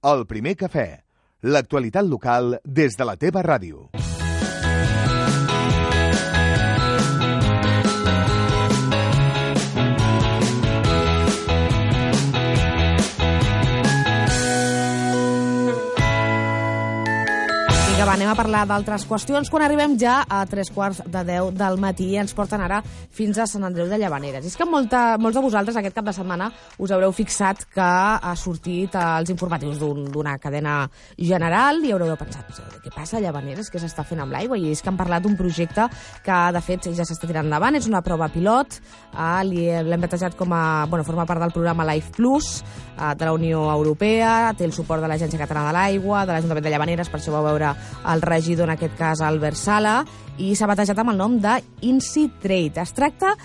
El primer cafè. L'actualitat local des de la teva ràdio. Va, anem a parlar d'altres qüestions quan arribem ja a 9:45 del matí i ens porten ara fins a Sant Andreu de Llavaneres. I és que molts de vosaltres aquest cap de setmana us haureu fixat que ha sortit als informatius d'una cadena general i haureu pensat, què passa a Llavaneres, què s'està fent amb l'aigua? I és que han parlat d'un projecte que de fet ja s'està tirant endavant, és una prova pilot, l'hem batejat com a, forma part del programa Life Plus de la Unió Europea, té el suport de l'Agència Catalana de l'Aigua, de l'Ajuntament de Llavaneres, per això va veure el regidor, en aquest cas Albert Sala, i s'ha batejat amb el nom de InSiTrate. Es tracta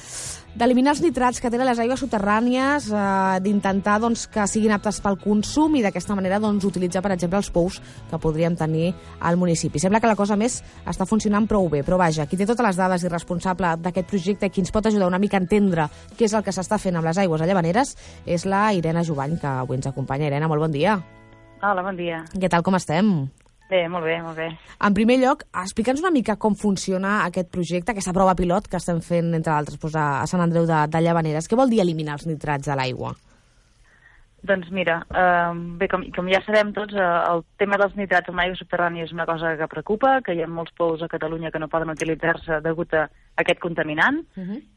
d'eliminar els nitrats que tenen les aigües subterrànies, d'intentar que siguin aptes pel consum i d'aquesta manera utilitzar, per exemple, els pous que podríem tenir al municipi. Sembla que la cosa més està funcionant prou bé, però vaja, qui té totes les dades i responsable d'aquest projecte i qui ens pot ajudar una mica a entendre què és el que s'està fent amb les aigües a Llavaneres és la Irene Jubany, que avui ens acompanya. Irene, molt bon dia. Hola, bon dia. Què tal, com estem? Bé, molt bé, molt bé. En primer lloc, explica'ns una mica com funciona aquest projecte, aquesta prova pilot que estem fent, entre altres, a Sant Andreu de Llavaneres. Què vol dir eliminar els nitrats de l'aigua? Doncs mira, bé, com ja sabem tots, el tema dels nitrats en l'aigua subterrània és una cosa que preocupa, que hi ha molts pous a Catalunya que no poden utilitzar-se degut a aquest contaminant,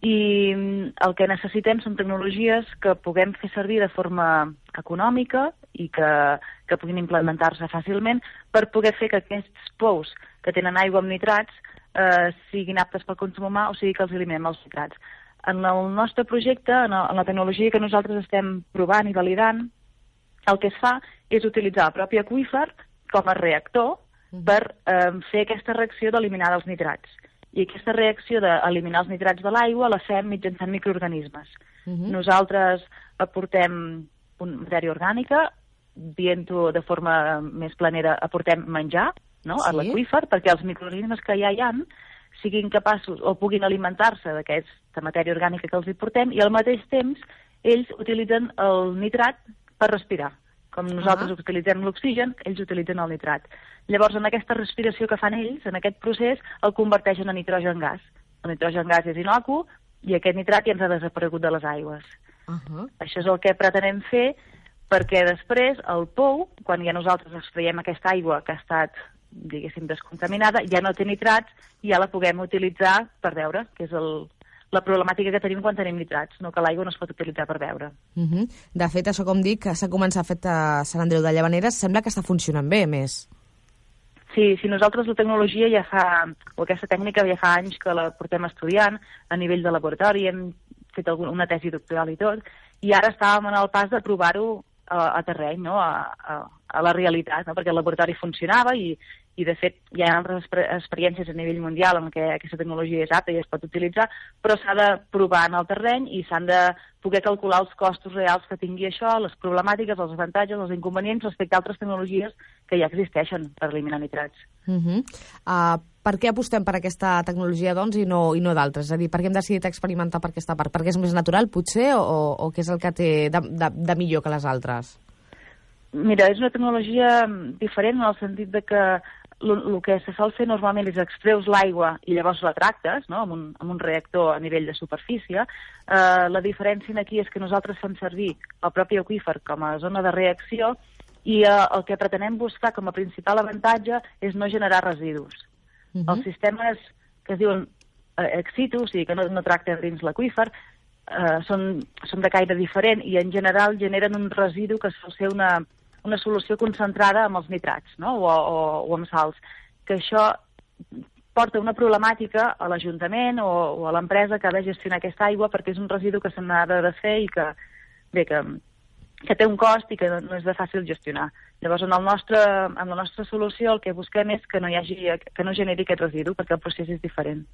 i el que necessitem són tecnologies que puguem fer servir de forma econòmica i que puguin implementar-se fàcilment per poder fer que aquests pous que tenen aigua amb nitrats siguin aptes pel consum humà, o sigui que els eliminem els nitrats. En el nostre projecte, en la tecnologia que nosaltres estem provant i validant, el que es fa és utilitzar el propi aqüífer com a reactor per fer aquesta reacció d'eliminar els nitrats. I aquesta reacció d'eliminar els nitrats de l'aigua la fem mitjançant microorganismes. Nosaltres aportem matèria orgànica, dient-ho de forma més planera, aportem menjar a l'aqüífer perquè els microorganismes que ja hi ha siguin capaços o puguin alimentar-se d'aquesta matèria orgànica que els hi portem, i al mateix temps ells utilitzen el nitrat per respirar. Com nosaltres utilitzem l'oxigen, ells utilitzen el nitrat. Llavors, en aquesta respiració que fan ells, en aquest procés, el converteixen en nitrogen gas. El nitrogen gas és inocu i aquest nitrat ja ens ha desaparegut de les aigües. Això és el que pretenem fer perquè després el pou, quan ja nosaltres extraiem aquesta aigua que ha estat, diguéssim, descontaminada, ja no té nitrats i ja la puguem utilitzar per beure, que és la problemàtica que tenim quan tenim nitrats, no que l'aigua no es pot utilitzar per beure. De fet, això, com dic, s'ha començat a fer a Sant Andreu de Llavaneres, sembla que està funcionant bé, més. Sí, nosaltres la tecnologia o aquesta tècnica ja fa anys que la portem estudiant a nivell de laboratori, hem fet una tesi doctoral i tot, i ara estàvem en el pas de provar-ho a terreny, a la realitat, perquè el laboratori funcionava i de fet hi ha altres experiències a nivell mundial en què aquesta tecnologia és apta i es pot utilitzar, però s'ha de provar en el terreny i s'han de poder calcular els costos reals que tingui això, les problemàtiques, els avantatges, els inconvenients respecte a altres tecnologies que ja existeixen per eliminar nitrats. Per què apostem per aquesta tecnologia, doncs, i no d'altres? És a dir, per què hem decidit experimentar per aquesta part? Perquè és més natural, potser, o què és el que té de millor que les altres? Mira, és una tecnologia diferent en el sentit de que el que se sol fer normalment és extreus l'aigua i llavors la tractes, amb un reactor a nivell de superfície. La diferència aquí és que nosaltres fem servir el propi aqüífer com a zona de reacció i el que pretenem buscar com a principal avantatge és no generar residus. Els sistemes que es diuen ex situ, o sigui que no tracten dins l'aqüífer, són de caire diferent i en general generen un residu que sol ser una solució concentrada amb els nitrats o amb sals, que això porta una problemàtica a l'Ajuntament o a l'empresa que ha de gestionar aquesta aigua perquè és un residu que se n'ha de desfer i que té un cost i que no és de fàcil gestionar. Llavors, amb la nostra solució el que busquem és que no generi aquest residu perquè el procés és diferent.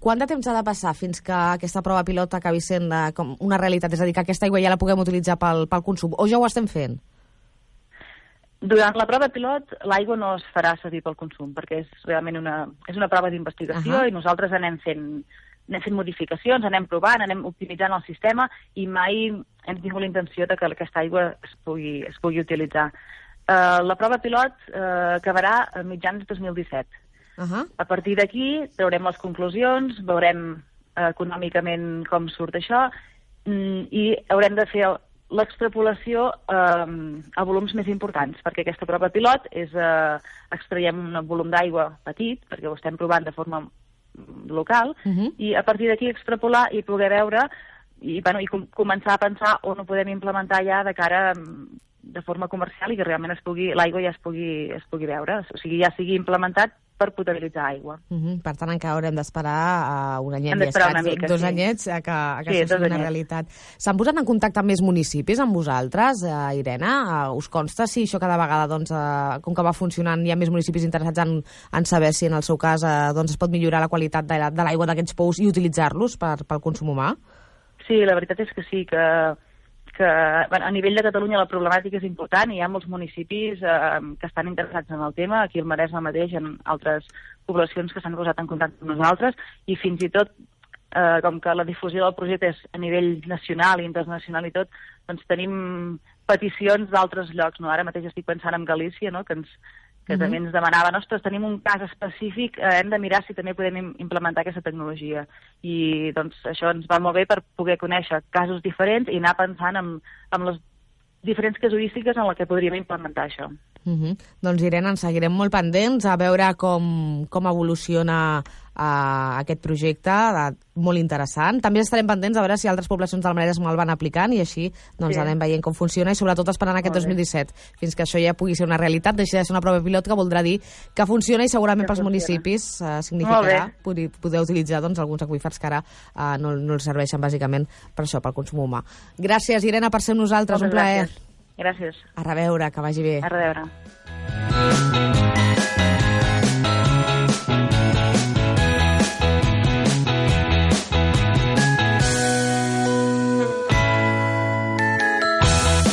Quant de temps ha de passar fins que aquesta prova pilot acabi sent com una realitat? És a dir, que aquesta aigua ja la puguem utilitzar pel consum, o ja ho estem fent? Durant la prova pilot, l'aigua no es farà servir pel consum, perquè és realment una prova d'investigació i nosaltres anem fent anem fent modificacions, anem provant, anem optimitzant el sistema i mai hem tingut la intenció de que aquesta aigua es pugui utilitzar. La prova pilot acabarà a mitjans de 2017. A partir d'aquí traurem les conclusions, veurem econòmicament com surt això i haurem de fer l'extrapolació a volums més importants, perquè aquesta prova pilot és extraiem un volum d'aigua petit, perquè ho estem provant de forma local, i a partir d'aquí extrapolar i poder veure i començar a pensar on ho podem implementar ja de cara de forma comercial i que realment l'aigua ja es pugui veure, o sigui, ja sigui implementat per potabilitzar aigua. Per tant, encara haurem d'esperar un anyet i escaig, 2 anyets que això sigui una realitat. S'han posat en contacte amb més municipis amb vosaltres, Irene? Us consta si això cada vegada, doncs, com que va funcionant, hi ha més municipis interessats en saber si en el seu cas es pot millorar la qualitat de l'aigua d'aquests pous i utilitzar-los pel consum humà? Sí, la veritat és que sí, que a nivell de Catalunya la problemàtica és important i hi ha molts municipis que estan interessats en el tema, aquí al Maresme mateix, en altres poblacions que s'han posat en contacte amb nosaltres i fins i tot, com que la difusió del projecte és a nivell nacional i internacional i tot, doncs tenim peticions d'altres llocs. Ara mateix estic pensant en Galícia, que també ens demanaven, ostres, tenim un cas específic, hem de mirar si també podem implementar aquesta tecnologia. I doncs això ens va molt bé per poder conèixer casos diferents i anar pensant en les diferents casuístiques en què podríem implementar això. Doncs, Irene, ens seguirem molt pendents a veure com evoluciona aquest projecte, molt interessant. També estarem pendents a veure si altres poblacions del Maresme el van aplicant i així anem veient com funciona i sobretot esperant aquest 2017, fins que això ja pugui ser una realitat, deixi de ser una prova pilot que voldrà dir que funciona i segurament pels municipis significarà poder utilitzar alguns aqüífers que ara no els serveixen bàsicament per això, pel consum humà. Gràcies, Irene, per ser amb nosaltres, un plaer. Gràcies. A reveure, que vagi bé. A reveure.